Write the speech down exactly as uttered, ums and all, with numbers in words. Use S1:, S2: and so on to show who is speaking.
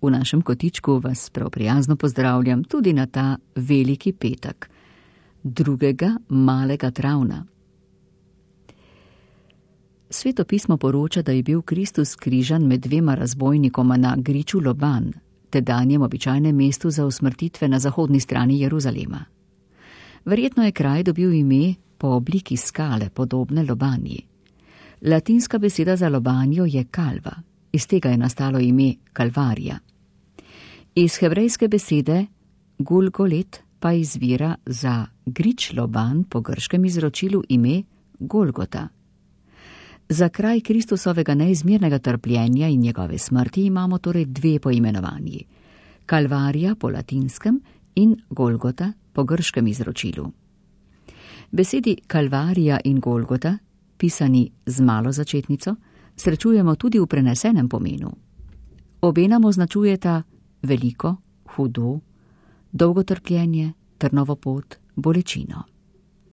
S1: V našem kotičku vas prav prijazno pozdravljam tudi na ta veliki petek, drugega malega travna. Sveto pismo poroča, da je bil Kristus križan med dvema razbojnikoma na griču Loban, tedanjem običajnem mestu za usmrtitve na zahodni strani Jeruzalema. Verjetno je kraj dobil ime po obliki skale, podobne lobanji. Latinska beseda za lobanjo je kalva, iz tega je nastalo ime Kalvarija. Iz hebrejske besede Gulgolet pa izvira za grič Loban po grškem izročilu ime Golgota. Za kraj Kristusovega neizmernega trpljenja in njegove smrti imamo torej dve poimenovanji: Kalvarija po latinskem in Golgota po grškem izročilu. Besedi Kalvarija in Golgota, pisani z malo začetnico, srečujemo tudi v prenesenem pomenu. Obe nam označujeta veliko, hudo, dolgo trpljenje, trnovo pot, bolečino.